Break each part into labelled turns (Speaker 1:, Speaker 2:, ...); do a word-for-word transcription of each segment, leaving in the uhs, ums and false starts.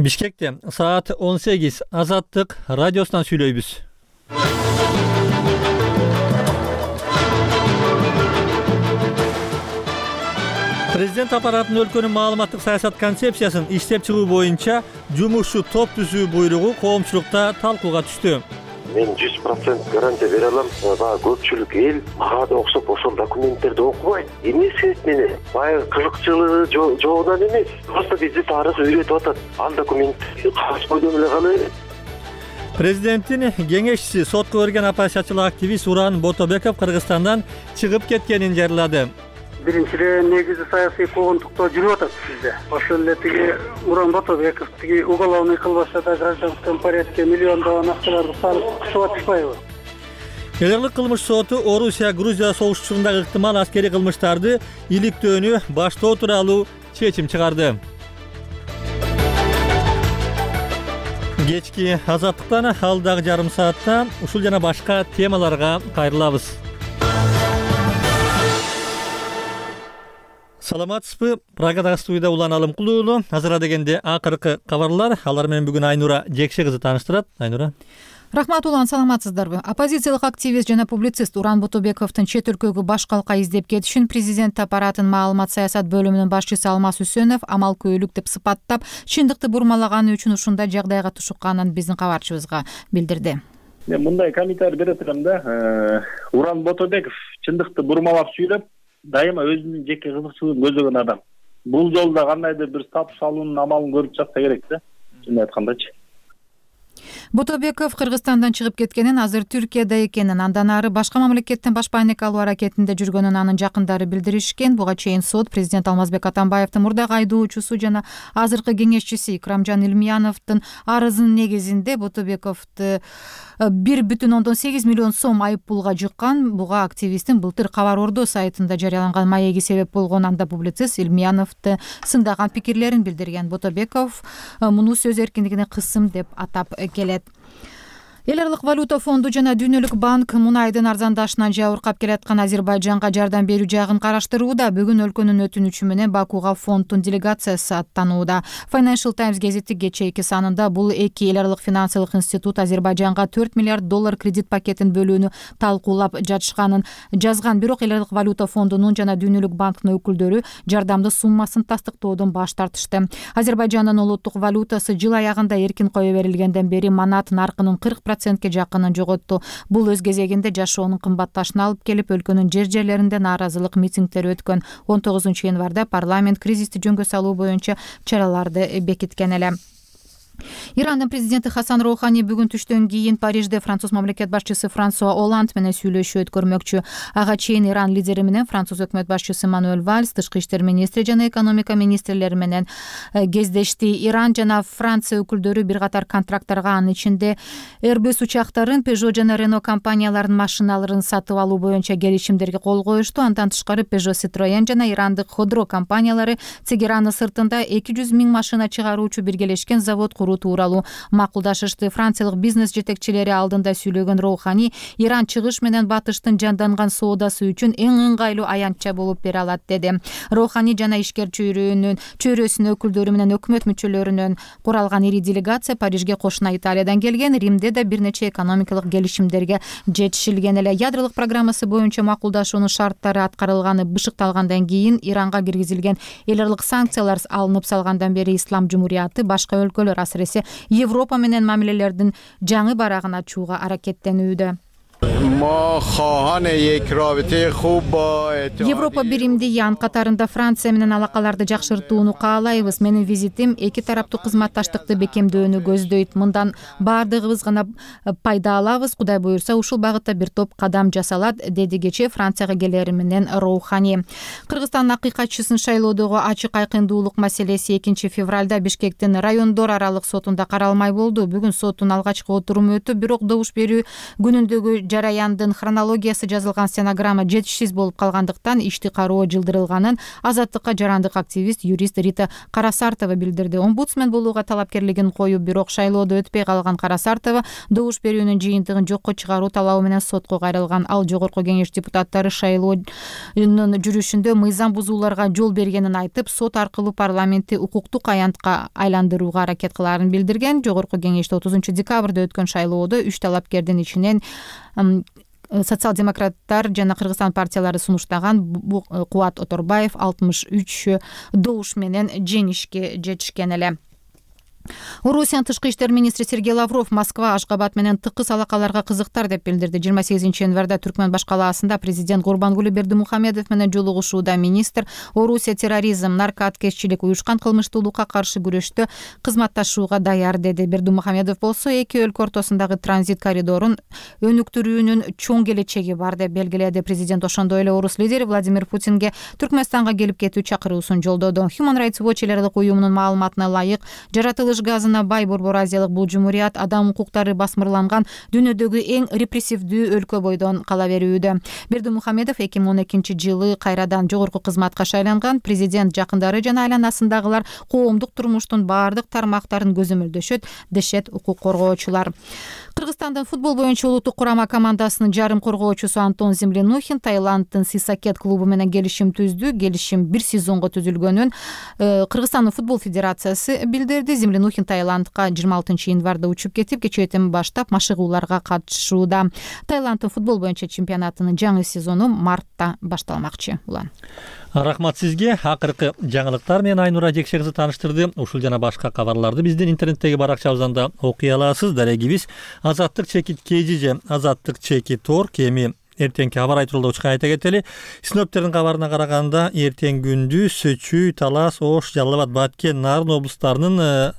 Speaker 1: Бишкекте саат он сегиз Азаттык радиосунан сүйлөйбүз. Президент аппаратынын өлкөнүн маалыматтык саясат концепциясын иштеп чыгуу боюнча жумушчу топ түзүү буйругу коомчулукта талкууга түштү.
Speaker 2: Мен жүз процент гарантия бере алам. Баягы көпчүлүк эл мага да окшоп ошол документтерди окубайт. Эмне себеп менен? Баягы кызыкчылыгы жогунан эмес. Просто бизди тарых үйрөтүп атат. Ал документ кагаз бойдон эле кала берет.
Speaker 1: Президенттин кеңешчиси, сотко берген оппозициячыл активист Уран Ботобеков Кыргызстандан чыгып кеткенин жарыялады.
Speaker 3: Биринчиден негизи саясий куугунтукта жүрүп атат бизде. Ошол эле тиги Уран Ботобеков тиги уголовный кылбашада гражданском порядке миллиондогон акчаларды салып кышып атышпайбы?
Speaker 1: Эл аралык кылмыш соту Орусия Грузия согуштарындагы ыктымал аскерий кылмыштарды иликтөөнү баштоо тууралуу чечим чыгарды. Кечки Азаттыктан алдагы жарым саатта ушул жана башка темаларга кайрылабыз. Саламатсызбы? Прагадагы студияда Улан Алымкулуулу. Азыр дегенде акыркы кабарлар. Алар менен бүгүн Айнура Жекше кызы тааныштырат. Айнура.
Speaker 4: Рахмат, Улан, саламатсыздарбы? Оппозициялык активист жана публицист Уран Ботобековдун чет өлкөгө баш калка издеп кетишин президент аппаратынын маалымат саясат бөлүмүнүн башчысы Алмаз Үсөнов амал көйлүк деп сыпаттап, чындыкты бурмалаганы үчүн ушундай жагдайга тушукканын биздин кабарчыбызга билдирди.
Speaker 5: Мен мындай комментарий бере турам да. Уран Ботобеков чындыкты бурмалап сүйлөп, дайыма өзүнүн жеке кызыкчылыгын көзөгөн адам. Бул жолда кандайдыр бир статус алуунун амалын көрүп жатса керек да. Чын айткандачы.
Speaker 4: Ботобеков Кыргызстандан чыгып кеткенин, азыр Түркияда экенин, андан ары башка мамлекеттен баш байнек алуу аракетинде жүргөнүн анын жакындары билдиришкен. Буга чейин сот президент Алмазбек Атамбаевдин мурдагы айдоочусу жана азыркы кеңешчиси Икрамжан Илмияновдун арызынын негизинде Ботобековду бир бүтүн ондон сегиз миллион сом айып пулга жыккан. Буга активисттин былтыр Кабар Ордо сайтында жарыяланган маеги себеп болгон. Анда публицист Илмияновду сындаган пикирлерин билдирген. Ботобеков муну сөз эркиндигине кысым деп атап келет. Эл аралык валюта фонду жана Дүйнөлүк банк мунайдын арзандашынан жабыркап келаткан Азербайжанга жардам берүү жагын караштырууда. Бүгүн өлкөнүн өтүнүчү менен Бакуга фонддун делегациясы аттанууда. Financial Times гезити кечээки санында бул эки эл аралык финансылык институт Азербайжанга төрт миллиард доллар кредит пакетин бөлүүнү талкуулап жатышканын жазган. Бирок эл аралык валюта фондунун жана Дүйнөлүк банктын өкүлдөрү жардамды суммасын тастыктоодон баш тартышты. Азербайжандын улуттук валютасы жыл аягында эркин кое берилгенден бери манат наркынын кырк процентке жакынын жоготту. Бул өз кезегинде жашоонун кымбатташына алып келип, өлкөнүн жер жерлеринде нааразылык митингдери өткөн. он тогузунчу январда парламент кризисти жөнгө салуу боюнча чараларды бекиткен эле. Ирандын президенти Хасан Роухани бүгүн түштөн кийин Парижде француз мамлекет башчысы Франсуа Оланд менен сүйлөшүү өткөрмөкчү. Ага чейин Иран лидери менен француз өкмөт башчысы Мануэль Вальс, тышкы иштер министри жана экономика министрлери менен кездешти. Иран жана Франция өкүлдөрү бир катар контракттарга, анын ичинде Airbus учактарын, Peugeot жана Renault компанияларынын машиналарын сатып алуу боюнча келишимдерге кол коюшту. Андан тышкары Peugeot, Citroën жана ирандык Ходро компаниялары Тегеранын сыртында эки жүз миң машина чыгаруучу биргелешкен завод тууралуу макулдашышты. Франциялык бизнес жетекчилери алдында сүйлөгөн Роухани Иран чыгыш менен батыштын жанданган соодасы үчүн эң ыңгайлуу аянтча болуп бере алат деди. Роухани жана ишкер чөйрөнүн чөйрөсүнүн өкүлдөрү менен өкмөт мүчөлөрүнөн куралган ири делегация Парижге кошуна Италиядан келген. Римде да бир нече экономикалык келишимдерге жетишилген эле. Ядролук программасы боюнча макулдашуунун шарттары аткарылганы бышыкталгандан кийин Иранга киргизилген эл аралык санкциялар алынып салгандан бери Ислам Жумурияты башка өлкөлөр, асыресе Европа менен мамилелердин жаңы барагын ачууга аракеттенүүдө. Европа биримдиги, анын катарында Франция менен алакаларды жакшыртууну каалайбыз. Менин визитим эки тараптуу кызматташтыкты бекемдөөнү көздөйт. Мындан баардыгыбыз гана пайда алабыз. Кудай буюрса, ушул багытта бир топ кадам жасалат, деди кечээ Францияга келери менен Роухани. Кыргызстандын акыйкатчысын шайлоодогу ачык айкындуулук маселеси экинчи февралда Бишкектин райондор аралык сотунда каралмай болду. Бүгүн соттун алгачкы отуруму өтүп, бирок добуш берүү күнүндөгү жараяндын хронологиясы жазылган стенограмма жетишсиз болуп калгандыктан ишти кароо жылдырылганын Азаттыкка жарандык активист юрист Рита Карасартова билдирди. Омбудсмен болууга талапкерлигин коюп, бирок шайлоодо өтпөй калган Карасартова добуш берүүнүн жыйынтыгын жокко чыгаруу талабы менен сотко кайрылган. Ал жогорку кеңеш депутаттары шайлоонун жүрүшүндө мыйзам бузууларга жол бергенин айтып, сот аркылуу парламентти укуктук аянтка айландырууга аракет кылаарын билдирген. Жогорку кеңеште отузунчу декабрда өткөн шайлоодо үч талапкердин ичинен социал-демократтар жана Кыргызстан партиялары сунуштаган Кубат Оторбаев алтымыш үч добуш менен жеңишке жетишкен эле. Орусиянын тышкы иштер министри Сергей Лавров Москва, Ашгабад менен тыкыз алакаларга кызыктар деп билдирди. жыйырма сегизинчи январда Түркмөн баш калаасында президент Гурбангулы Бердимухамедов менен жолугушууда министр Орусия терроризм, наркоаткезчилик, уюшкан кылмыштуулукка каршы күрөштө кызматташууга даяр деди. Бердимухамедов болсо эки өлкө ортосундагы транзит коридорун өнүктүрүүнүн чоң келечеги бар деп белгиледи. Президент ошондой эле орус лидери Владимир Путинге Түркмөнстанга келип кетүү чакыруусун жолдоду. Human Rights Watch элдик уюмунун маалыматына ылайык, жаратылыш газына бай Борбор Азиялык бул жумурият адам укуктары басмырланган дүйнөдөгү эң репрессивдүү өлкө бойдон кала берүүдө. Бердимухамедов эки миң он экинчи жылы кайрадан жогорку кызматка шайланган. Президент жакындары жана айланасындагылар коомдук турмуштун баардык тармактарын көзөмөлдөшөт, дешет укук коргоочулар. Кыргызстандын футбол боюнча улуттук курама командасынын жарым коргоочусу Антон Землянухин Таиланддын Сисакет клубу менен келишим түздү. Келишим бир сезонго түзүлгөнүн Кыргызстандын футбол федерациясы билдирди. Землянухин Таиландка жыйырма алтынчы январда учуп кетип, кечээден баштап машыгууларга катышууда. Таиланддын футбол боюнча чемпионатынын жаңы сезону мартта башталмакчы. Улан.
Speaker 1: Рахмат сизге. Акыркы жаңылыктар менен Айнура Жекше кызы тааныштырды. Ушул жана башка кабарларды биздин интернеттеги баракчабыздан да окуй аласыз. Дарегибиз Азаттык чекит кежи же Азаттык чекит тор кеми эртеңки кабар айтылуучу айта кетели. Синоптиктердин кабарына караганда эртең күндүз Чүй, Талас, Ош, Жалал Абад, Баткен, Нарын облустарынын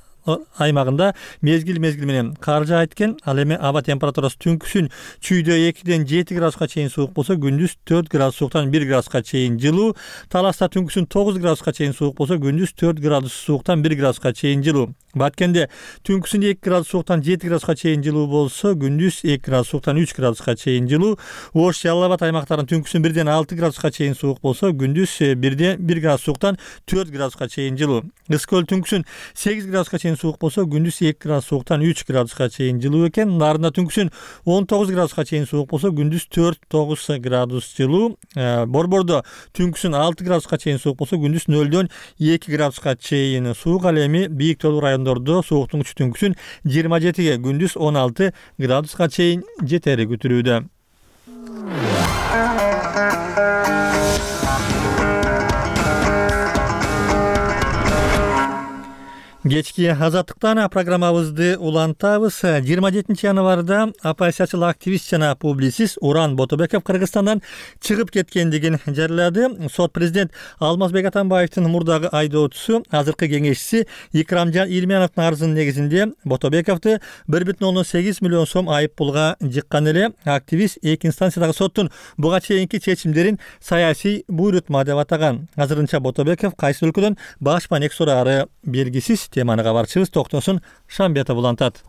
Speaker 1: аймагында мезгил мезгил менен кар жаайт экен. Ал эми аба температурасы түнкүсүн Чүйдө экиден жети градуска чейин суук болсо, күндүз төрт градус сууктан бир градуска чейин жылуу. Таласта түнкүсүн тогуз градуска чейин суук болсо, күндүз төрт градус сууктан бир градуска чейин жылуу. Баткенде түнкүсүн эки градус сууктан жети градуска чейин жылуу болсо, күндүз эки градус сууктан үч градуска чейин жылуу. Ош, Жалал Абад аймактарынын түнкүсүн бирден алты градуска чейин суук болсо, күндүз бирден бир градус сууктан төрт градуска чейин жылуу. Ысык түнкүсүн сегиз градуска чейин суук болсо, күндүз эки градус сууктан үч градуска чейин жылуу экен. Нарында түнкүсүн он тогуз градуска чейин суук болсо, күндүз төрт тогуз градус жылуу. Борбордо түнкүсүн алты градуска чейин суук болсо, күндүз нөлдөн эки градуска чейин суук. Ал эми бийик тоолуу райондордо сууктук түнкүсүн жыйырма жетиге, күндүз он алты градуска чейин жетери күтүлүүдө. Кечки Азаттыктан программабызды улантабыз. жыйырма жетинчи январда оппозициячыл активист жана публицист Уран Ботобеков Кыргызстандан чыгып кеткендигин жарыялады. Сот президент Алмазбек Атамбаевдин мурдагы айдоочусу, азыркы кеңешчиси Икрамжан Илмяновдун арызынын негизинде Ботобековду бир бүтүн ондон сегиз миллион сом айып пулга жыккан эле. Активист эки инстанциядагы соттун буга чейинки чечимдерин саясий буйрутма деп атаган. Азырынча Ботобеков кайсы өлкөдөн баш маек сурары белгисиз. Теманы кабарчыбыз Токтосун Шамбетов улантат.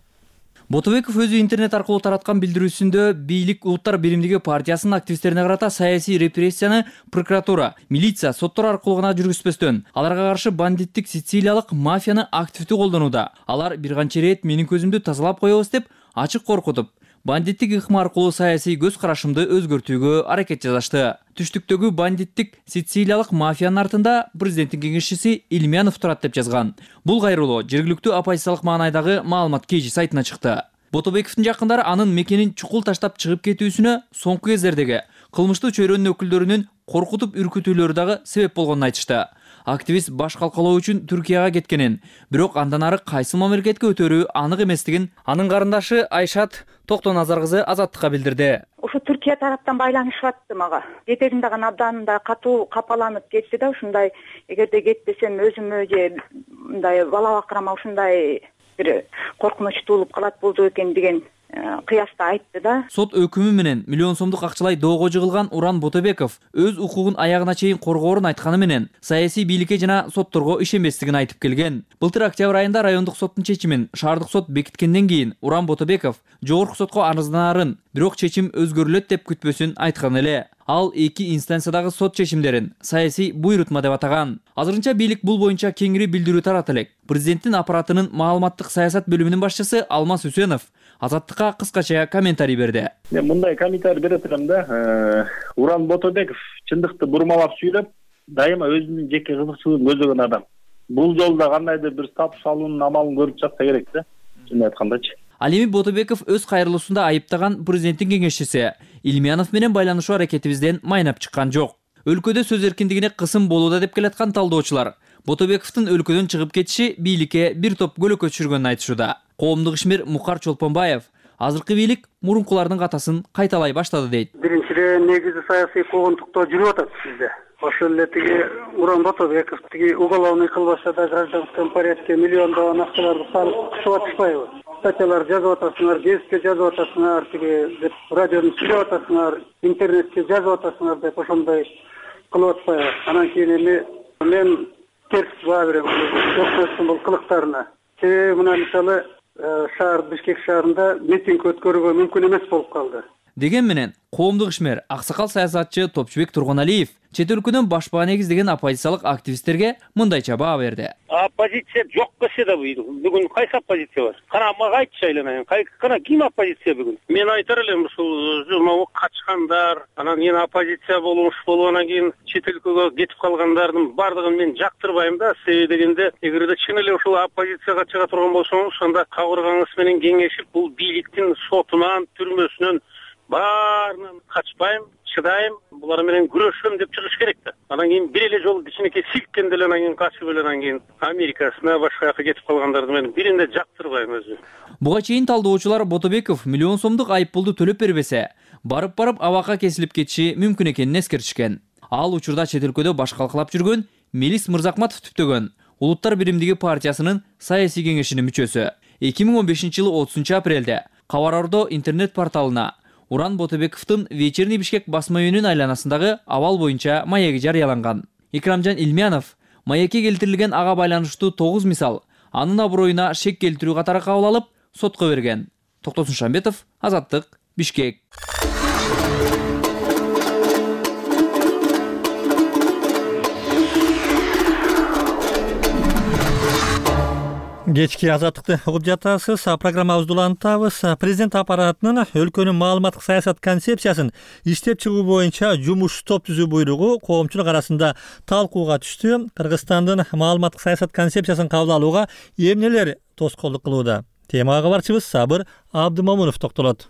Speaker 6: Ботобеков өзү интернет аркылуу тараткан билдирүүсүндө бийлик Улуттар биримдиги партиясынын активисттерине карата саясий репрессияны прокуратура, милиция, соттор аркылуу гана жүргүзбөстөн, аларга каршы бандиттик сицилиялык мафияны активдүү колдонууда. Алар бир канча ирет менин көзүмдү тазалап коебуз деп ачык коркутуп, бандиттик ыкма аркылуу саясий көз карашымды өзгөртүүгө аракет жасашты. Түштүктөгү бандиттик сицилиялык мафиянын артында президенттин кеңешчиси Илмянов турат деп жазган. Бул кайрылуу жергиликтүү оппозициялык маанайдагы маалымат кежи сайтына чыкты. Ботобековдун жакындары анын мекенин чукул таштап чыгып кетүүсүнө соңку кездердеги кылмыштуу чөйрөнүн өкүлдөрүнүн коркутуп үркүтүүлөрү дагы себеп болгонун айтышты. Активист баш калкалоо үчүн Түркияга кеткенин, бирок андан ары кайсы мамлекетке өтөрү анык эместигин анын карындашы Айшат Токтоназар кызы Азаттыкка билдирди.
Speaker 7: Ошо Түркия тараптан байланышып атты мага. Кетерин дагы абдан да катуу капаланып кетти да, ушундай эгерде кетпесем өзүмө же мындай бала бакырама ушундай бир коркунучтуу болуп калат болду экен деген кыяста айтты да.
Speaker 6: Сот өкүмү менен миллион сомдук акчалай доого жыгылган Уран Ботобеков өз укугун аягына чейин коргоорун айтканы менен саясий бийликке жана сотторго ишенбестигин айтып келген. Былтыр октябрь айында райондук соттун чечимин шаардык сот бекиткенден кийин Уран Ботобеков жогорку сотко арызданарын, бирок чечим өзгөрүлөт деп күтпөсүн айткан эле. Ал эки инстанциядагы сот чечимдерин саясий буйрутма деп атаган. Азырынча бийлик бул боюнча кеңири билдирүү таратты элек. Президенттин аппаратынын маалыматтык саясат бөлүмүнүн башчысы Алмаз Үсенов Азаттыкка кыскача комментарий берди.
Speaker 5: Мен мындай комментарий берет элем да. Уран Ботобеков чындыкты бурмалап сүйлөп, дайыма өзүнүн жеке кызыкчылыгын көзөгөн адам. Бул жолда кандайдыр бир статус алуунун амалын көрүп жатса керек да. Чын айткандачы.
Speaker 6: Ал эми Ботобеков өз кайрылуусунда айыптаган президенттин кеңешчиси Илмиянов менен байланышуу аракетибизден майнап чыккан жок. Өлкөдө сөз эркиндигине кысым болууда деп келаткан талдоочулар Ботобековдун өлкөдөн чыгып кетиши бийликке бир топ көлөкө түшүргөнүн айтышууда. Коомдук ишмер Мухар Чолпонбаев азыркы бийлик мурункулардын катасын кайталай баштады дейт.
Speaker 3: Биринчиден негизи саясий куугунтуктоо жүрүп атат бизде. Ошол эле тиги Уран Ботобеков тиги уголовный кылбашта да гражданском порядке миллиондогон акчаларды салып кышып атышпайбы? Статьялар жазып атасыңар, гезитке жазып атасыңар, тиги деп радиону сүйлөп атасыңар, интернетке жазып атасыңар деп ошондой кылып атпайбы? Анан кийин эми мен терс баа берем өкмөттүн бул кылыктарына. Себеби мына мисалы шаар Бишкек шаарында митинг өткөрүүгө мүмкүн эмес болуп калды.
Speaker 6: Деген менен коомдук ишмер аксакал саясатчы Топчубек Тургуналиев чет өлкөдөн баш баа негиздеген оппозициялык активисттерге мындайча баа берди.
Speaker 8: Оппозиция жок кесе да бүгүн кайсы оппозиция бар? Кана мага айтчы айланайын. Кана ким оппозиция бүгүн? Мен айтар элем ушул могу качкандар, анан эми оппозиция болуш болуп анан кийин чет өлкөгө кетип калгандардын бардыгын мен жактырбайм да. Себеби дегенде эгерде чын эле ушул оппозицияга чыга турган болсоңуз, анда кабыргаңыз менен кеңешип бул бийликтин сотунан, түрмөсүнөн баарынан качпайм, чыдайм, булар менен күрөшөм деп чыгыш керек да. Анан кийин бир эле жолу кичинекей силккенде эле анан кийин качып эле анан кийин Америкасына башка жака кетип калгандарды мен биринде жактырбайм өзү.
Speaker 6: Буга чейин талдоочулар Ботобеков миллион сомдук айыппулду төлөп бербесе, барып-барып абакка кесилип кетиши мүмкүн экенин эскертишкен. Ал учурда чет өлкөдө баш калкалап жүргөн Мелис Мырзакматов түптөгөн Улуттар биримдиги партиясынын саясий кеңешинин мүчөсү. эки миң он бешинчи жылы отузунчу апрелде Кабар Ордо интернет порталына Уран Ботобековдун Вечерний Бишкек басма үйүнүн айланасындагы абал боюнча маяги жарыяланган. Икрамжан Илмиянов маекке келтирилген ага байланыштуу тогуз мисал анын аброюна шек келтирүү катары кабыл алып, сотко берген. Токтосун Шамбетов, Азаттык, Бишкек.
Speaker 1: Кечки Азаттыкты угуп жатасыз. Программабызды улантабыз. Президент аппаратынын өлкөнүн маалыматтык саясат концепциясын иштеп чыгуу боюнча жумуш топ түзүү буйругу коомчулук арасында талкууга түштү. Кыргызстандын маалыматтык саясат концепциясын кабыл алууга эмнелер тоскоолдук кылууда? Темага кабарчыбыз Сабыр Абдымомунов токтолот.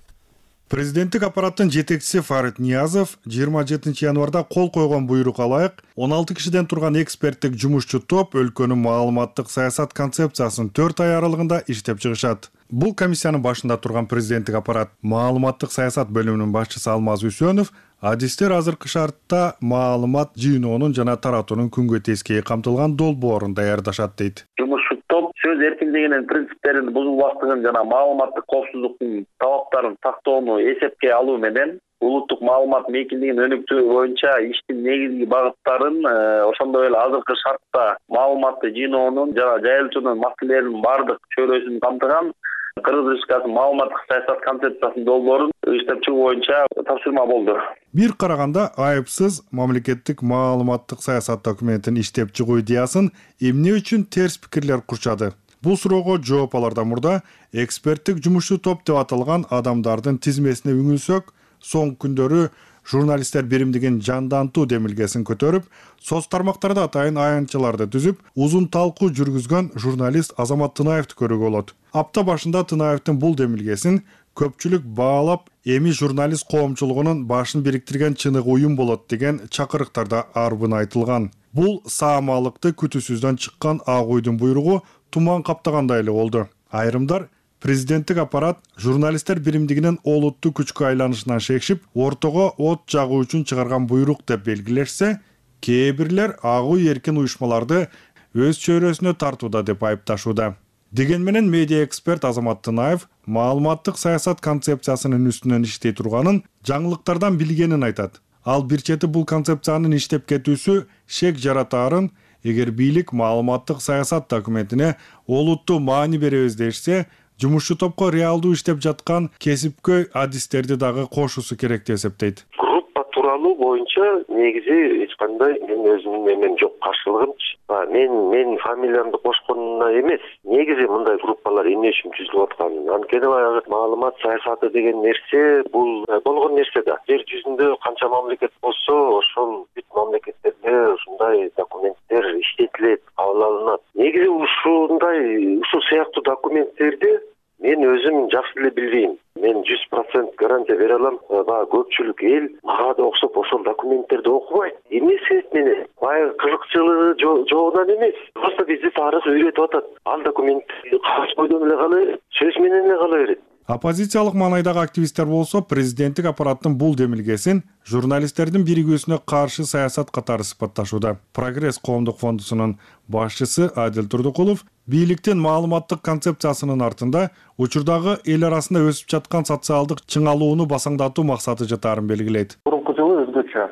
Speaker 9: Президенттик аппараттын жетекчиси Фарид Ниязов жыйырма жетинчи январда кол койгон буйрукка ылайык он алты кишиден турган эксперттик жумушчу топ өлкөнүн маалыматтык саясат концепциясын төрт ай аралыгында иштеп чыгышат. Бул комиссиянын башында турган президенттик аппарат маалыматтык саясат бөлүмүнүн башчысы Алмаз Үсенов адистер азыркы шартта маалымат жыйноонун жана таратуунун күнгө тескейи камтылган долбоорун даярдашат дейт.
Speaker 5: Жумушчу топ сөз эркиндигинин принциптерин бузулбаштыгын жана маалыматтык коопсуздуктун талаптарын сактоону эсепке алуу менен улуттук маалымат мейкиндигин өнүктүү боюнча иштин негизги багыттарын, ошондой эле азыркы шартта маалыматты жыйноонун жана жайылтуунун маселелеринин бардык чөйрөсүн камтыган Кыргыз Республикасынын маалыматтык саясат концепциясынын долбоорун иштеп чыгуу боюнча тапшырма болду.
Speaker 9: Бир караганда айыпсыз мамлекеттик маалыматтык саясат документин иштеп чыгуу идеясын эмне үчүн терс пикирлер курчады? Бул суроого жооп алардан мурда эксперттик жумушчу топ деп аталган адамдардын тизмесине үңүлсөк, соңку күндөрү журналисттер биримдигин жандантуу демилгесин көтөрүп, соц тармактарда атайын аянтчаларды түзүп, узун талкуу жүргүзгөн журналист Азамат Тынаевди көрүүгө болот. Апта башында Тынаевдин бул демилгесин көпчүлүк баалап, эми журналист коомчулугунун башын бириктирген чыныгы уюм болот деген чакырыктарда арбын айтылган. Бул саамалыкты күтүүсүздөн чыккан ак уйдун буйругу туман каптагандай эле болду. Айрымдар президенттик аппарат журналисттер биримдигинин олуттуу күчкө айланышынан шекшип, ортого от жагуу үчүн чыгарган буйрук деп белгилешсе, кээ бирлер ак уй эркин уюшмаларды өз чөйрөсүнө тартууда деп айыпташууда. Деген менен медиа эксперт Азамат Тынаев маалыматтык саясат концепциясынын үстүнөн иштей турганын, жаңылыктардан билгенин айтат. Ал бир чети бул концепциянын иштеп кетүүсү шек жаратаарын, эгер бийлик маалыматтык саясат документине олуттуу маани беребиз дешсе, жумушчу топко реалдуу иштеп жаткан кесипкөй адистерди дагы кошуусу керек деп эсептейт.
Speaker 2: Группа тууралуу боюнча негизи эч кандай мен өзүмдүн эмен жок, каршылыгымчы. Мен мен фамилиямды кошконуна эмес, негизи мындай группалар эмне үчүн түзүлүп атканын. Анткени баягы маалымат саясаты деген нерсе бул болгон нерсе да. Жер жүзүндө канча мамлекет болсо, ошол бүт мамлекеттерде ушундай документтер иштетилет, кабыл алынат. Негизи ушундай ушул сыяктуу документтерди мен өзүм жакшы эле билбейм. Мен жүз процент гарантия бере алам. Баягы көпчүлүк эл мага да окшоп ошол документтерди окубайт. Эмне себеп менен? Баягы кызыкчылыгы жогунан эмес. Просто бизди тарых үйрөтүп атат. Ал документ кагаз бойдон эле кала берет, сөз менен эле кала берет.
Speaker 9: Оппозициялык маанайдагы активисттер болсо президенттик аппараттын бул демилгесин журналисттердин биригүүсүнө каршы саясат катары сыпатташууда. Прогресс коомдук фондусунун башчысы Адил Турдукулов бийликтин маалыматтык концепциясынын артында учурдагы эл арасында өсүп жаткан социалдык чыңалууну басаңдатуу максаты жатаарын белгилейт.
Speaker 10: Мурунку жылы өзгөчө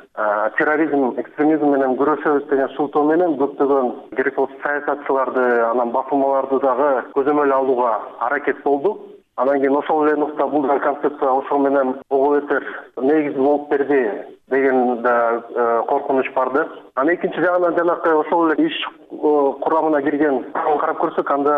Speaker 10: терроризм, экстремизм менен күрөшөбүз деген шултоо менен көптөгөн керек болсо саясатчыларды, анан басылмаларды дагы көзөмөл алууга аракет болдук. Анан кийин ошол эле нукта бул да концепция ошол менен ого бетер негиз болуп берди деген да коркунуч бар да. Анан экинчи жагынан жанакы ошол эле иш курамына кирген карап көрсөк, анда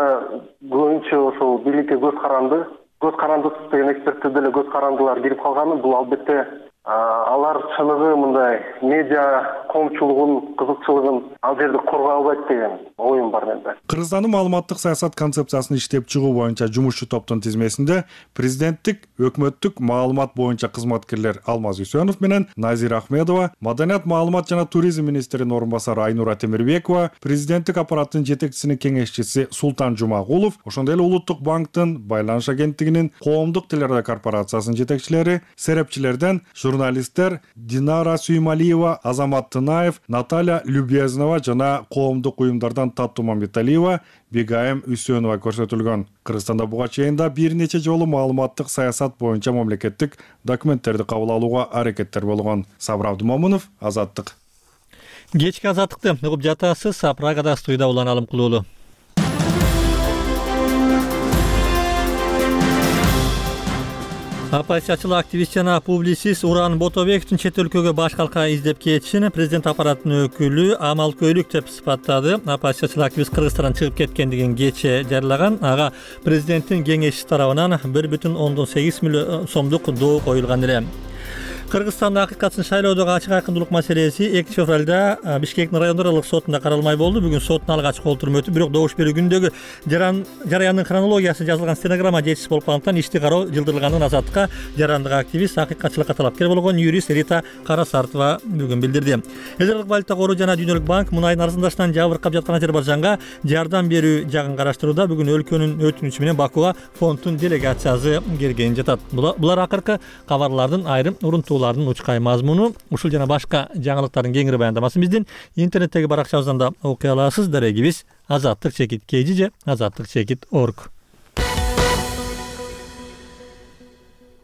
Speaker 10: көбүнчө ошол бийликке көз каранды, көз карандысыз деген эксперттер деле көз карандылар кирип калганы, бул албетте алар чыныгы мындай медиа коомчулугун кызыкчылыгын ал жерде коргой албайт деген оюм бар менде.
Speaker 9: Кыргызстандын маалыматтык саясат концепциясын иштеп чыгуу боюнча жумушчу топтун тизмесинде президенттик, өкмөттүк маалымат боюнча кызматкерлер Алмаз Үсөнов менен Назира Ахмедова, Маданият, маалымат жана туризм министринин орун басары Айнура Темирбекова, президенттик аппараттын жетекчисинин кеңешчиси Султан Жумагулов, ошондой эле Улуттук банктын, Байланыш агенттигинин, Коомдук телерадио корпорациясынын жетекчилери, серепчилерден журналисттер Динара Сүймалиева, Азамат Тынаев, Наталья Любезнова жана коомдук уюмдардан Татту Мамбеталиева, Бегайым Үсөнова көрсөтүлгөн. Кыргызстанда буга чейин да бир нече жолу маалыматтык саясат боюнча мамлекеттик документтерди кабыл алууга аракеттер болгон. Сабыр Абдымомунов, Азаттык.
Speaker 1: Кечки Азаттыкты угуп жатасыз. Прагада студияда Улан Алым Кулуулу. Оппозициячыл активист жана публицист Уран Ботобековдун чет өлкөгө баш калка издеп кетишин президент аппараттын өкүлү амалкөйлүк деп сыпаттады. Оппозициячыл активист Кыргызстандан чыгып кеткендигин кечээ жарыяган. Ага президенттин кеңешчиси тарабынан бир бүтүн ондон сегиз миллион сомдук доо коюлган эле. Кыргызстанда акыйкатсын шайлоодогу ачык айкындуулук маселеси экинчи февралда Бишкектин райондор аралык сотунда каралмай болду. Бүгүн соттун алгачкы отуруму өтүп, бирок добуш берүү күндөгү жарыяндын хронологиясы жазылган стенограмма жетишсиз болуп калгандыктан ишти кароо жылдырылганын Азаттыкка жарандык активист, акыйкатчылыкка талапкер болгон юрист Рита Карасартова бүгүн билдирди. Эл аралык валюта кору жана Дүйнөлүк банк мунайдын арзандашынан жабыркап жаткан Азербайжанга жардам берүү жагын караштырууда. Бүгүн өлкөнүн өтүнүчү менен Бакуга фонддун делегациясы келген жатат. Булар акыркы кабарлардын айрым урунтууларын учкай мазмуну. Ушул жана башка жаңылыктардын кеңири баяндамасын биздин интернеттеги баракчабыздан да окуй аласыз. Дарегибиз азаттык чекит кей жи же азаттык чекит точка орг.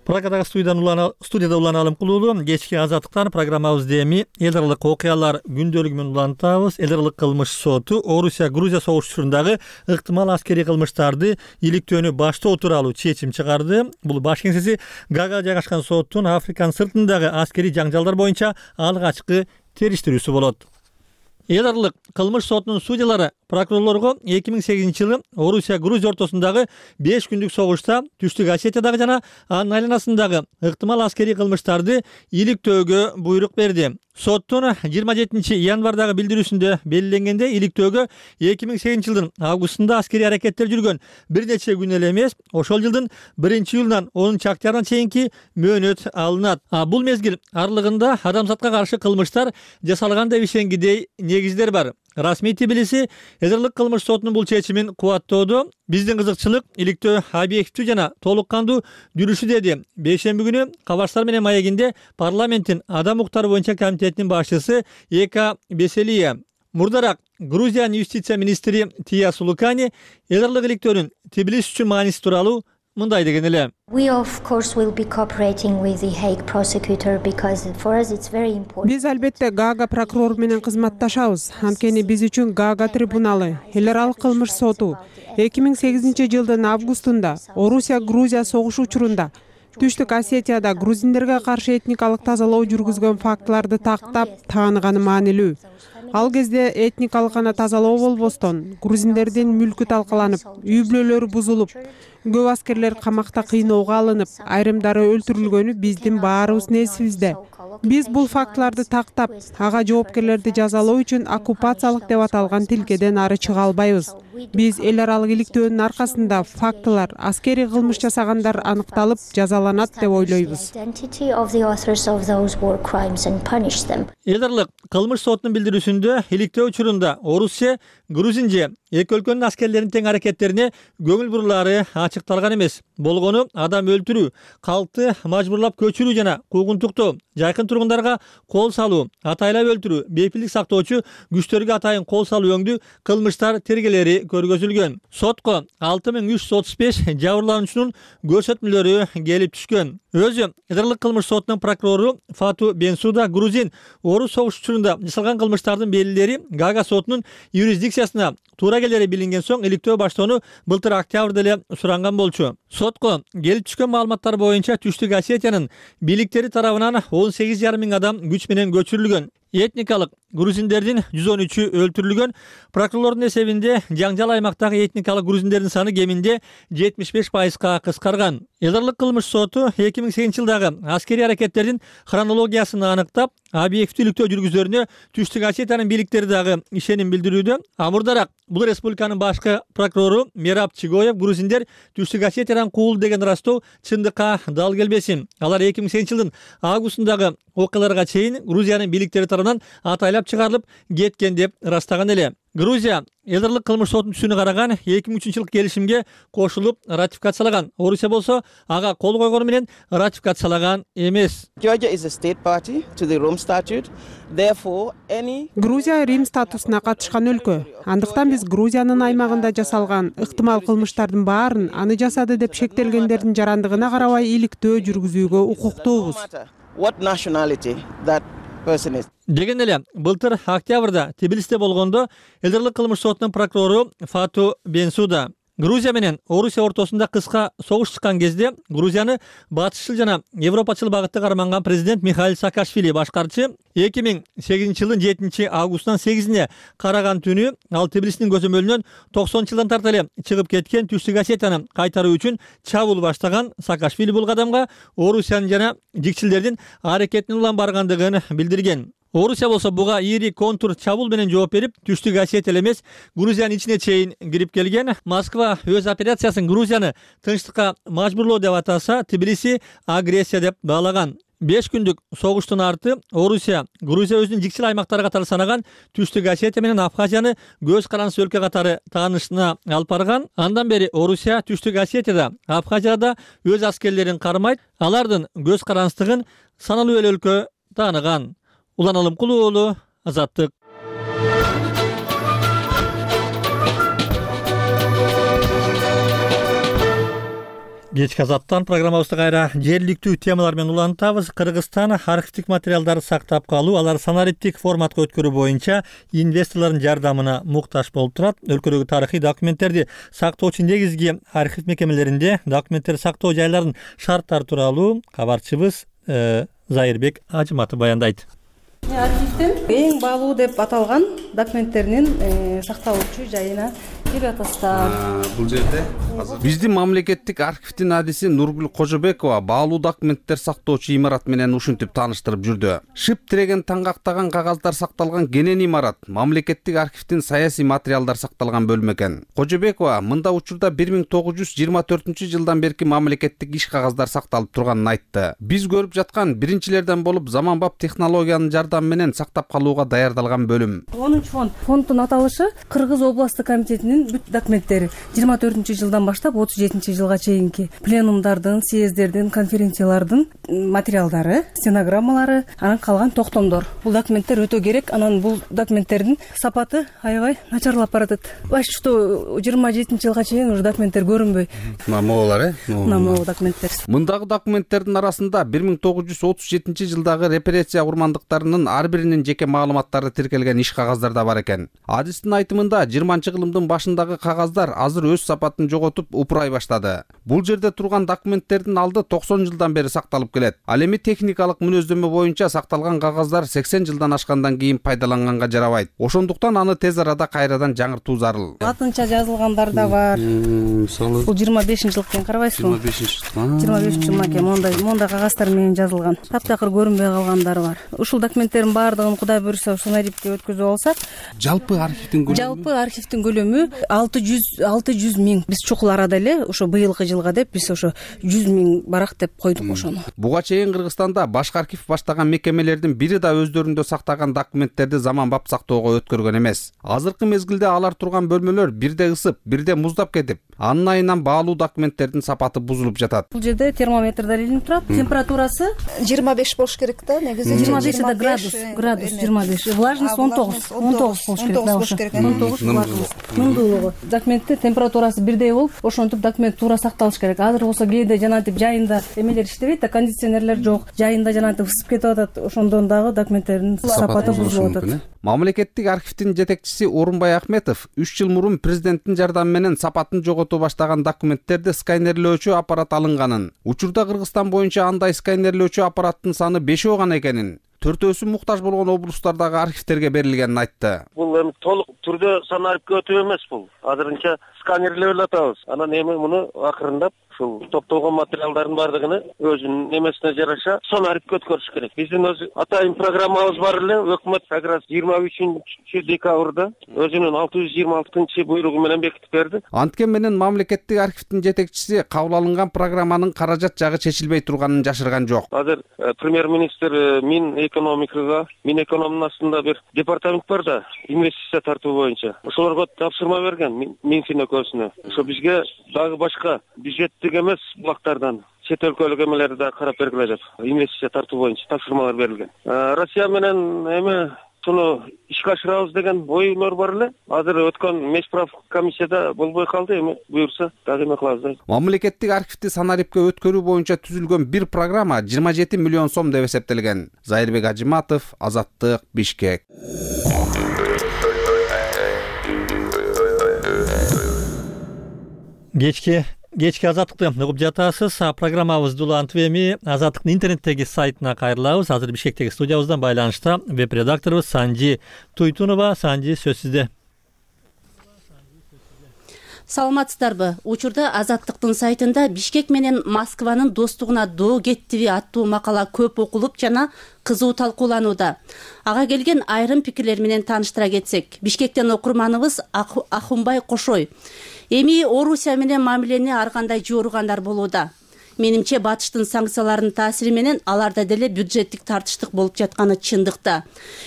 Speaker 1: Прагадагы студияда Улан Алым Кулуулу. Кечки Азаттыктан программабызды эми эл аралык окуялар күндөлүгү менен улантабыз. Эл аралык кылмыш соту Орусия-Грузия согуштурундагы ыктымал аскерий кылмыштарды иликтөөнү баштоо тууралуу чечим чыгарды. Бул баш кеңсеси Гаагада жайгашкан соттун Африканын сыртындагы аскерий жаңжалдар боюнча алгачкы териштирүүсү болот. Эл аралык кылмыш сотунун судьялары прокурорлорго эки миң сегизинчи жылы Орусия-Грузия ортосундагы беш күндүк согушта Түштүк Осетиядагы жана анын айланасындагы ыктымал аскерий кылмыштарды иликтөөгө буйрук берди. Соттун жыйырма жетинчи январдагы билдирүүсүндө белгиленгендей, иликтөөгө эки миң сегизинчи жылдын августунда аскерий аракеттер жүргөн бир нече күн эле эмес, ошол жылдын биринчи июлунан онунчу октябрына чейинки мөөнөт алынат. А бул мезгил аралыгында адамзатка каршы кылмыштар жасалган деп ишенгидей негиздер бар. Расмий тибилиси эл аралык кылмыш сотунун бул чечимин кубаттоодо. Биздин кызыкчылык иликтөө объективдүү жана толук кандуу жүрүшү деди. Бейшемби күнү Кабарштар менен маегинде парламенттин адам укуктары боюнча комитетинин башчысы Эка Беселия. Мурдараак Грузиянын юстиция министри Тия Сулукани элдарлык иликтөөнүн Тбилис үчүн мааниси тууралуу мындай деген эле.
Speaker 11: Биз албетте Гаага прокурору менен кызматташабыз. Анткени биз үчүн Гаага трибуналы, эл аралык кылмыш соту эки миң сегизинчи жылдын августунда Орусия-Грузия согушу учурунда Түштүк Осетияда грузиндерге каршы этникалык тазалоо жүргүзгөн фактыларды тактап тааныганы маанилүү. Ал кезде этникалык гана тазалоо болбостон, грузиндердин мүлкү талкаланып, үй бүлөлөрү бузулуп, көп аскерлер камакта кыйноого алынып, айрымдары өлтүрүлгөнү биздин баарыбыздын эсибизде. Биз бул фактыларды тактап, ага жоопкерлерди жазалоо үчүн оккупациялык деп аталган тилкеден ары чыга албайбыз. Биз эл аралык иликтөөнүн аркасында фактылар, аскерий кылмыш жасагандар аныкталып, жазаланат деп ойлойбуз.
Speaker 1: Эл аралык кылмыш сотунун билдирүүсүндө иликтөө учурунда Орусия, Грузин же эки өлкөнүн аскерлеринин тең аракеттерине көңүл бурулаары ачыкталган эмес. Болгону адам өлтүрүү, калкты мажбурлап көчүрүү жана куугунтуктоо, жайкын тургундарга кол салуу, атайлап өлтүрүү, бейпилдик сактоочу күчтөргө атайын кол салуу өңдүү кылмыштар тергелери көргөзүлгөн. Сотко алты миң үч жүз отуз беш жабырлануучунун көрсөтмөлөрү келип түшкөн. Өзү Эдерлик кылмыш сотунун прокурору Фату Бенсуда Грузин Орус согуш учурунда жасалган кылмыштардын белгилери Гаага сотунун юрисдикциясына туура келери билинген соң иликтөө баштоону былтыр октябрда эле суранган болчу. Сотко келип түшкөн маалыматтар боюнча Түштүк Осетиянын бийликтери тарабынан он сегиз жарым миң адам күч менен көчүрүлгөн. Этникалык грузиндердин жүз он үчү өлтүрүлгөн. Прокурорлордун эсебинде жаңжал аймактагы этникалык грузиндердин саны кеминде жетимиш беш пайызга кыскарган. Элдарлык кылмыш соту эки миң сегизинчи жылдагы аскерий аракеттердин хронологиясын аныктап, объективдүү иликтөө жүргүзөрүнө Түштүк Осетиянын бийликтери дагы ишеним билдирүүдө. Амурдараак бул республиканын башкы прокурору Мераб Чигоев грузиндер Түштүк Осетиядан куул деген ырастоо чындыкка дал келбесин. Алар эки миң сегизинчи жылдын августундагы окуяларга чейин Грузиянын бийликтери тарабынан атайлап чыгарылып кеткен деп ырастаган эле. Грузия Элдарлык кылмыш сотунун түсүнө караган эки миң үчүнчү жылкы келишимге кошулуп ратификациялаган. Орусия болсо ага кол койгону менен ратификациялаган эмес.
Speaker 11: Грузия Рим статусуна катышкан өлкө. Андыктан биз Грузиянын аймагында жасалган ыктымал кылмыштардын баарын аны жасады деп шектелгендердин жарандыгына карабай иликтөө жүргүзүүгө укуктуубуз.
Speaker 1: Деген эле былтыр октябрда Тбилисте болгондо Элдарлык кылмыш сотунун прокурору Фату Бенсуда Грузия менен Орусия ортосунда кыска согуш чыккан кезде Грузияны батышчыл жана европачыл багытта карманган президент Михаил Саакашвили башкарчы эки миң сегизинчи жылдын жетинчи августунан сегизине караган түнү ал Тбилисинин көзөмөлүнөн токсонунчу жылдан тарта эле чыгып кеткен Түштүк Осетияны кайтаруу үчүн чабуул баштаган. Саакашвили бул кадамга Орусиянын жана жикчилдердин аракетинин улам баргандыгын билдирген. Орусия болсо буга ири контур чабуул менен жооп берип, Түштүк Осетия эмес, Грузиянын ичине чейин кирип келген. Москва өз операциясын Грузияны тынчтыкка мажбурлоо деп атаса, Тбилиси агрессия деп баалаган. беш күндүк согуштун арты Орусия, Грузия өзүнүн жикчил аймактары катары санаган Түштүк Осетия менен Абхазияны көз карандысы өлкө катары таанышына алып барган. Андан бери Орусия Түштүк Осетияда, Абхазияда өз аскерлерин кармайт, алардын көз карандысыгын саналуу эле өлкө тааныган. Улан Алымкулуу уулу, Азаттык. Кечки Азаттан программабызды кайра жергиликтүү темалар менен улантабыз. Кыргызстан архивдик материалдарды сактап калуу, алар санариптик форматка өткөрүү боюнча инвесторлордун жардамына муктаж болуп турат. Өлкөдөгү тарыхый документтерди сактоочу негизги архив мекемелеринде документтерди сактоо жайларынын шарттары тууралуу кабарчыбыз Зайырбек Ажыматов баяндайт.
Speaker 12: Архивдин эң баалуу деп аталган документтеринин сакталуучу жайына кирип атасыздар.
Speaker 13: Бул жерде биздин мамлекеттик архивдин адиси Нургүл Кожобекова баалуу документтер сактоочу имарат менен ушинтип тааныштырып жүрдү. Шип тиреген таңгактаган кагаздар сакталган кенен имарат мамлекеттик архивдин саясий материалдар сакталган бөлмө экен. Кожобекова мында учурда бир миң тогуз жүз жыйырма төртүнчү жылдан берки мамлекеттик иш кагаздар сакталып турганын айтты. Биз көрүп жаткан биринчилерден болуп заманбап технологиянын жардамы менен сактап калууга даярдалган бөлүм.
Speaker 12: онунчу фонд. Фонддун аталышы Кыргыз областтык комитетинин бүт документтери жыйырма төртүнчү жылдан баштап отуз жетинчи жылга чейинки пленумдардын, съездердин, конференциялардын материалдары, стенограммалары, анан калган токтомдор. Бул документтер өтө керек. Анан бул документтердин сапаты аябай начарлап баратат. Баш что жыйырма жетинчи жылга чейин уже документтер көрүнбөй.
Speaker 13: Намолар, э?
Speaker 12: Намол документтер.
Speaker 13: Мындагы документтердин арасында бир миң тогуз жүз отуз жетинчи жылдагы репрессия курмандыктарынын ар биринин жеке маалыматтары тиркелген иш кагаздар да бар экен. Адистин айтымында жыйырманчы кылымдын башындагы кагаздар азыр өз сапатын жоготуп упурай баштады. Бул жерде турган документтердин алды токсон жылдан бери сакталып келет. Ал эми техникалык мүнөздөмө боюнча сакталган кагаздар сексен жылдан ашкандан кийин пайдаланганга жарабайт. Ошондуктан аны тез арада кайрадан жаңыртуу зарыл.
Speaker 12: Латынча жазылгандар да бар.
Speaker 13: Мисалы
Speaker 12: бул жыйырма бешинчи жыл экен, карабайсызбы?
Speaker 13: жыйырма бешинчи жыл.
Speaker 12: жыйырма бешинчи жыл экен. Мондай мондай кагаздар менен жазылган. Таптакыр көрүнбөй калгандары бар. Ушул документтердин баардыгын Кудай буйруса ушул архивге өткөзүп алсак,
Speaker 13: жалпы архивдин көлөмү
Speaker 12: жалпы архивдин көлөмү алты жүз миң. Биз чукул арада эле ошо быйылкы жылга деп биз ошо жүз миң барак деп койдук ошону.
Speaker 13: Буга чейин Кыргызстанда башкы архив баштаган мекемелердин бири да өздөрүндө сактаган документтерди заманбап сактоого өткөргөн эмес. Азыркы мезгилде алар турган бөлмөлөр бирде ысып, бирде муздап кетип, анын айынан баалуу документтердин сапаты бузулуп жатат.
Speaker 12: Бул жерде термометрдер илинип турат. Температурасы
Speaker 14: жыйырма беш болуш керек да, негизи.
Speaker 12: жыйырма беш да градус, градус жыйырма беш. Влажность он тогуз, он тогуз болуш керек да ошо. он тогуз влажность. Нымдуулугу. Документте температурасы бирдей болуп, ошентип документ туура сакталыш керек. Азыр болсо кээде жанагынтип жайында эмелер иштебейт да, кондиционерлер жок. Жайында жанагынтип ысып кетип атат. Ошондон дагы документтердин сапаты бузулуп атат.
Speaker 13: Мамлекеттик архивдин жетекчиси Орунбай Ахметов үч жыл мурун президенттин жардамы менен сапатын жогото баштаган документтерди сканерлөөчү аппарат алынганын, учурда Кыргызстан боюнча андай сканерлөөчү аппараттын саны бешөө гана экенин, төртөөсү муктаж болгон облустардагы архивтерге берилгенин айтты.
Speaker 8: Бул эми толук түрдө санарипке өтүү эмес бул. Азырынча сканерлеп эле атабыз. Анан эми муну акырындап ушул топтолгон материалдардын баардыгын өзүнүн эмесине жараша санарипке өткөрүш керек. Биздин өз атайын программабыз бар эле. Өкмөт как раз жыйырма үчүнчү декабрда өзүнүн алты жүз жыйырма алтынчы буйругу менен бекитип берди.
Speaker 13: Анткен менен мамлекеттик архивдин жетекчиси кабыл алынган программанын каражат жагы чечилбей турганын жашырган жок.
Speaker 8: Азыр премьер-министр Мин экономикага, Мин экономдун астында бир департамент бар да, инвестиция тартуу боюнча. Ошолорго тапшырма берген Минфин өкмөтүнө. Ошо бизге дагы башка бюджеттик эмес булактардан чет өлкөлүк эмелерди да карап бергиле деп, инвестиция тартуу боюнча тапшырмалар берилген. Россия менен эми суну ишке ашырабыз деген ойлор бар эле. Азыр өткөн мешправ комиссияда болбой калды, эми буюрса дагы эме кылабыз да.
Speaker 13: Мамлекеттик архивди санарипке өткөрүү боюнча түзүлгөн бир программа жыйырма жети миллион сом деп эсептелген. Зайырбек Ажиматов, Азаттык, Бишкек.
Speaker 1: Кечки кечки азаттыкты угуп жатасыз. Программабызды улантып эми Азаттыктын интернеттеги сайтына кайрылабыз. Азыр Бишкектеги студиябыздан байланышта веб-редакторубуз Санжи Туйтунова. Санжи, сөз сизде.
Speaker 15: Саламатсыздарбы? Учурда Азаттыктын сайтында Бишкек менен Москванын достугуна доо кеттиби аттуу макала көп окулуп жана кызуу талкууланууда. Ага келген айрым пикирлер менен тааныштыра кетсек, Бишкектен окурманыбыз Ахунбай Кошой. Эми Орусия менен мамилени ар кандай жууругандар болууда. Менимче батыштын санкцияларынын таасири менен аларда деле бюджеттик тартыштык болуп жатканы чындыкта.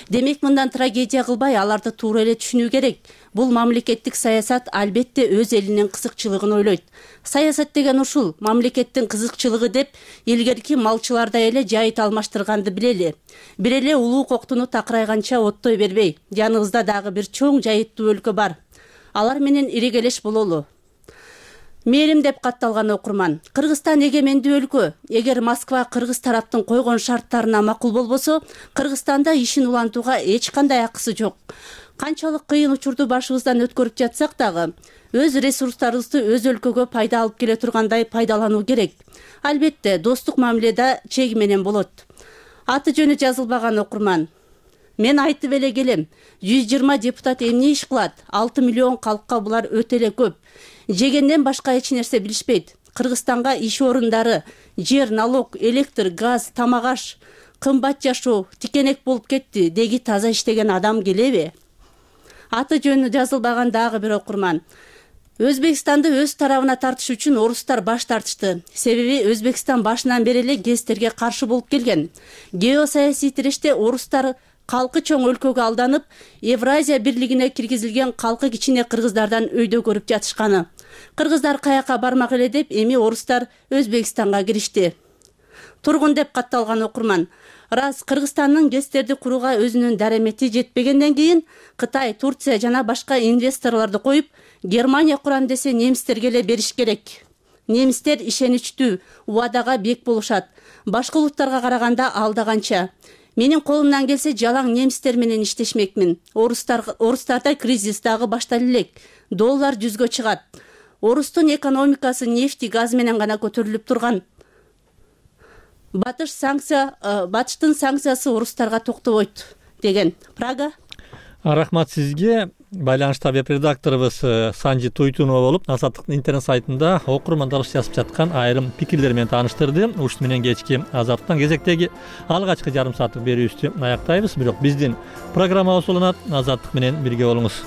Speaker 15: Демек мындан трагедия кылбай аларды туура эле түшүнүү керек. Бул мамлекеттик саясат албетте өз элинин кызыкчылыгын ойлойт. Саясат деген ушул, мамлекеттин кызыкчылыгы деп илгерки малчылардай эле жайыт алмаштырганды билели. Бир эле улуу коктуну такырайганча оттой бербей, жаныбызда дагы бир чоң жайыттуу өлкө бар. Алар менен ирегелеш бололу. Мээрим деп катталган окурман. Кыргызстан эгемендүү өлкө. Эгер Москва кыргыз тараптын койгон шарттарына макул болбосо, Кыргызстанда ишин улантууга эч кандай акысы жок. Канчалык кыйын учурду башыбыздан өткөрүп жатсак дагы, өз ресурстарыбызды өз өлкөгө пайда алып келе тургандай пайдалануу керек. Албетте, достук мамиледе чеги менен болот. Аты жөнү жазылбаган окурман. Мен айтып эле келем, жүз жыйырма депутат эмне иш кылат? алты миллион калкка булар өтө эле көп. Жегенден башка эч нерсе билишпейт. Кыргызстанга иш орундары, жер, налог, электр, газ, тамак аш, кымбат жашоо, тикенек болуп кетти. Деги таза иштеген адам келеби? Аты жөнү жазылбаган дагы бир окурман. Өзбекстанды өз тарабына тартыш үчүн орустар баш тартышты. Себеби Өзбекстан башынан бери эле гезтерге каршы болуп келген. Геосаясий тиреште орустар калкы чоң өлкөгө алданып Евразия бирлигине киргизилген калкы кичине кыргыздардан өйдө көрүп жатышканы. Кыргыздар каяка бармак эле деп эми орустар Өзбекстанга киришти. Тургун деп катталган окурман. Рас, Кыргызстандын ГЭСтерди курууга өзүнүн даремети жетпегенден кийин Кытай, Турция жана башка инвесторлорду коюп, Германия курам десе немистерге эле бериш керек. Немистер ишеничтүү, убадага бек болушат. Башка улуттарга караганда алда канча. Менин колумдан келсе жалаң немистер менен иштешмекмин. Орустар орустарда кризис дагы башталып элек. Доллар жүзгө чыгат. Орустун экономикасы нефти, газ менен гана көтөрүлүп турган. Батыш санкция, батыштын санкциясы орустарга токтобойт деген. Прага.
Speaker 1: Рахмат сизге. Байланышта веб-редакторубуз Санжи Туйтунова болуп, Азаттыктын интернет сайтында окурмандарыбыз жазып жаткан айрым пикирлер менен тааныштырды. Ушун менен кечки Азаттыктан кезектеги алгачкы жарым сааттык берүүбүздү аяктайбыз. Бирок биздин программабыз уланат. Азаттык менен бирге болуңуз.